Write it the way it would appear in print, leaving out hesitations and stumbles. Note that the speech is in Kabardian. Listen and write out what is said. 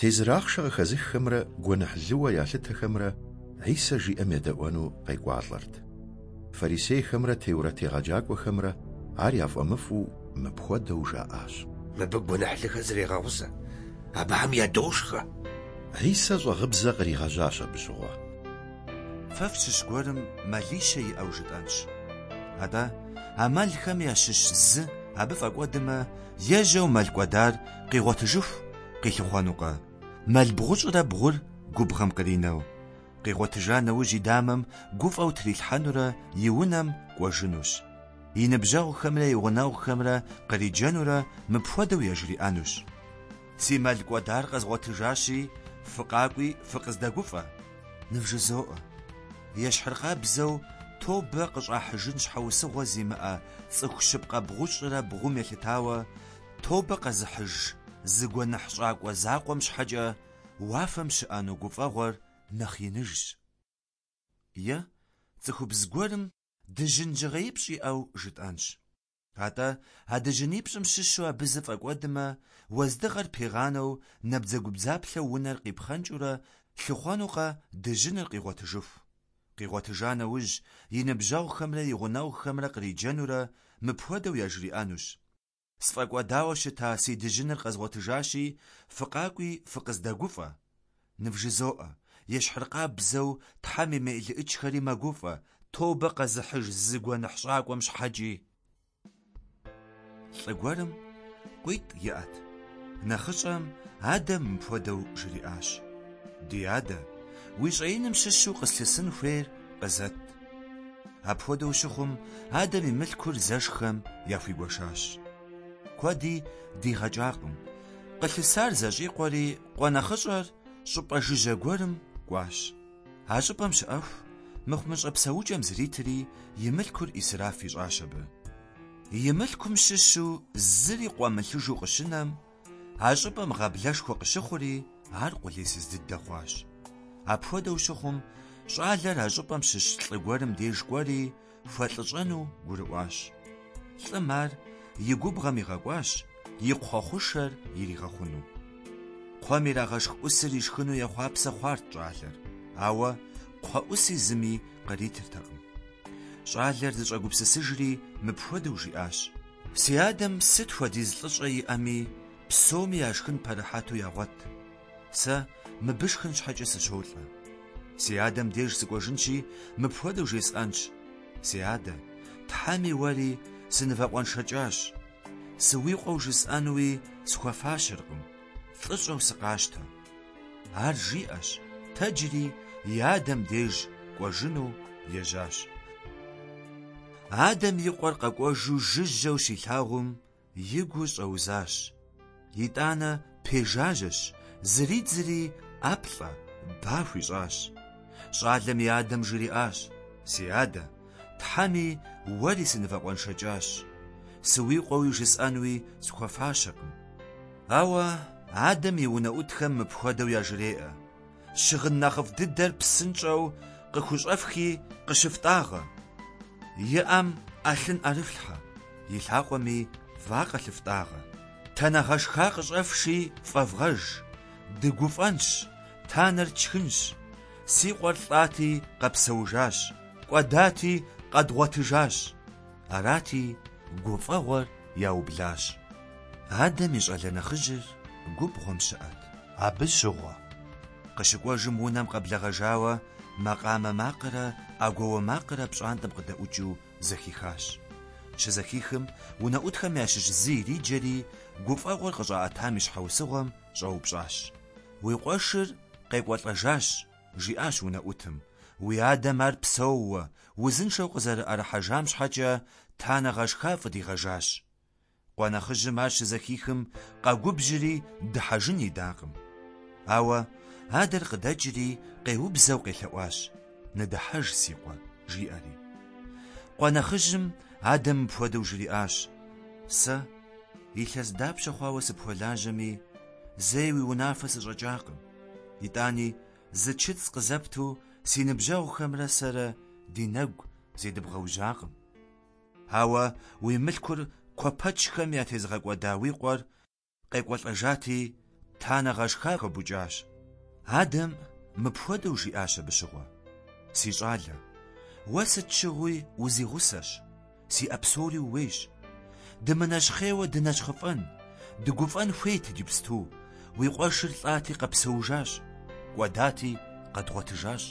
Тезыр ахъшэ къыхэзыххэмрэ гуэныхьлыуэ ялъытэхэмрэ Хьисэ жиӏэм едэӏуэну къекӏуалӏэрт. Фарисейхэмрэ теурэт егъэджакӏуэхэмрэ ар яфӏэмыфӏу мыпхуэдэу жаӏащ. Мыбы гуэныхьлыхэр зрегъэгъусэ, абыхэм ядошхэ. Хьисэ щӏагъыбзэ къригъэжьащ абы щыгъуэ. Фэ фщыщ гуэрым мэлищэ иӏэу жытӏэнщ. Атӏэ, а мэлхэм ящыщ зы абы фӏэкӏуэдмэ, ежьэу мэл кӏуэдар къигъуэтыжыху къилъыхъуэнукъэ? Мэл бгъущӏрэ бгъур губгъуэм къринэу. Къигъуэтыжа нэужь и дамэм гуфӏэу трилъхьэнурэ и унэм кӏуэжынущ. И ныбжьэгъухэмрэ и гъунэгъухэмрэ къриджэнурэ мыпхуэдэу яжриӏэнущ: Си мэл кӏуэдар къэзгъуэтыжащи, фыкъакӏуи фыкъыздэгуфӏэ. Нывжызоӏэ, ещхьыркъабзэу тобэ къыщӏахьыжын щхьэусыгъуэ зимыӏэ цӏыху щыпкъэ бгъущӏрэ бгъум елъытауэ, тобэ къэзыхьыж зы гуэныхьщӏакӏуэ закъуэм щхьэкӏэ уафэм щыӏэну гуфӏэгъуэр нэхъ иныжщ. Е цӏыхубз гуэрым дыжьын жьыгъеипщӏ иӏэу жытӏэнщ. Атӏэ, а дыжьынипщӏым щыщу абы зы фӏэкӏуэдмэ, уэздыгъэр пигъанэу, набдзэгубдзаплъэу унэр къипхъэнкӏыурэ лъыхъуэнукъэ дыжьыныр къигъуэтыжыху? Къигъуэтыжа нэужь, и ныбжьэгъухэмрэ и гъунэгъухэмрэ къриджэнурэ мыпхуэдэу яжриӏэнущ: Сфӏэкӏуэдауэ щыта си дыжьыныр къэзгъуэтыжащи, фыкъакӏуи фыкъыздэгуфӏэ. Нывжызоӏэ, ещхьыркъабзэу Тхьэм и мелыӏычхэри мэгуфӏэ, тобэ къэзыхьыж зы гуэныхьщӏакӏуэм щхьэкӏи. Лӏы гуэрым къуитӏ иӏэт. Нэхъыщӏэм адэм мыпхуэдэу жриӏащ: Ди адэ, уи щӏэиным щыщу къыслъысын хуейр къызэт. Апхуэдэу щыхъум, адэм и мылъкур зэшхэм яхуигуэшащ. Куэди дигъэкӏакъым. Къылъысар зэщӏикъуэри, къуэ нэхъыщӏэр щӏыпӏэ жыжьэ гуэрым кӏуащ. А щӏыпӏэм щыӏэху, мыхъумыщӏэ псэукӏэм зритри, и мылъкур ӏисраф ищӏащ абы. И мылъкум щыщу зыри къуэмылъыжу къыщынэм, а щӏыпӏэм гъаблэшхуэ къыщыхъури, ар къулейсыз дыдэ хъуащ. Апхуэдэу щыхъум, щӏалэр а щӏыпӏэм щыщ лӏы гуэрым деж кӏуэри, хуэлӏыщӏэну гурыӏуащ. Лӏым ар и губгъэм игъэкӏуащ, и кхъуэ хъушэр иригъэхъуну. Кхъуэм ирагъэшх ӏусыр ишхыну ехъуапсэ хъуарт щӏалэр, ауэ кхъуэ ӏуси зыми къритыртэкъым. Щӏалэр зыщӏэгупсысыжри мыпхуэдэу жиӏащ: Си адэм сыт хуэдиз лӏыщӏэ иӏэми, псоми яшхын пэрыхьэту ягъуэт. Сэ мыбы шхын щхьэкӏэ сыщолӏэ. Си адэм деж сыкӏуэжынщи, мыпхуэдэу жесӏэнщ: Си адэ, Тхьэми уэри сынывэкъуэншэкӏащ. Сыуикъуэу жысӏэнуи схуэфащэркъым, лӏыщӏэу сыкъащтэ. Ар жиӏэщ, тэджри и адэм деж кӏуэжыну ежьащ. Адэм и къуэр къэкӏуэжу жыжьэу щилъагъум, и гур щӏэузащ. Итӏанэ пежажьэщ, зридзри ӏэплӏэ, ба хуищӏащ. Щӏалэм и адэм жриӏащ: Си адэ, Тхьэми уэри сынывэкъуэншэкӏащ. Сыуикъуэуи жысӏэнуи схуэфащэкъым. Ауэ адэм и унэӏутхэм мыпхуэдэу яжреӏэ: Щыгъын нэхъыфӏ дыдэр псынщӏэу къыхущӏэфхи къыщыфтӏагъэ. И ӏэм ӏэлъын ӏэрыфлъхьэ, и лъакъуэми вакъэ лъыфтӏагъэ. Танэ гъэшха къыщӏэфши фӏэвгъэж, дыгуфӏэнщ, танэр тшхынщ. Си къуэр лӏати къэпсэужащ, кӏуэдати къэдгъуэтыжащ. Арати, гуфӏэгъуэр яублащ. Адэм и щӏалэ нэхъыжьыр губгъуэм щыӏэт. Абы щыгъуэ. Къыщыкӏуэжым унэм къэблэгъэжауэ макъамэ макърэ ӏэгуауэ макърэ пщӏантӏэм къыдэӏукӏыу зэхихащ. Щызэхихым, унэӏутхэм ящыщ зы ириджэри, гуфӏэгъуэр къыщӏаӏэтам и щхьэусыгъуэм щӏэупщӏащ. Уи къуэшыр къекӏуэлӏэжащ, жиӏащ унэӏутым. Уи адэм ар псэууэ, узыншэу къызэрыӏэрыхьэжам щхьэкӏэ танэ гъэшха фӏыдигъэжащ. Къуэ нэхъыжьым ар щызэхихым, къэгубжьри дыхьэжын идакъым. Ауэ адэр къыдэкӏри къеубзэу къелъэӏуащ: Ныдыхьэж, си къуэ, жиӏэри. Къуэ нэхъыжьым адэм мыпхуэдэу жриӏащ: Сэ илъэс дапщэ хъуауэ сыпхуэлажьэми, зэи уи унафэ сыщӏэкӏакъым. Итӏани зы чыцӏ къызэпту си ныбжьэгъухэмрэ сэрэ ди нэгу зедыбгъэужьакъым. Ауэ уи мылъкур куэпэчхэм ятезыгъэкӏуэда уи къуэр къекӏуэлӏэжати, Танэ гъэшха хуэбукӏащ. Адэм мыпхуэдэу жиӏащ абы щыгъуэ: Си щӏалэ, уэ сыт щыгъуи узигъусэщ, сиӏэ псори ууейщ. Дымынэщхъейуэ дынэщхъыфӏэн, дыгуфӏэн хуейт иджыпсту, уи къуэшыр лӏати къэпсэужащ, кӏуэдати къэдгъуэтыжащ.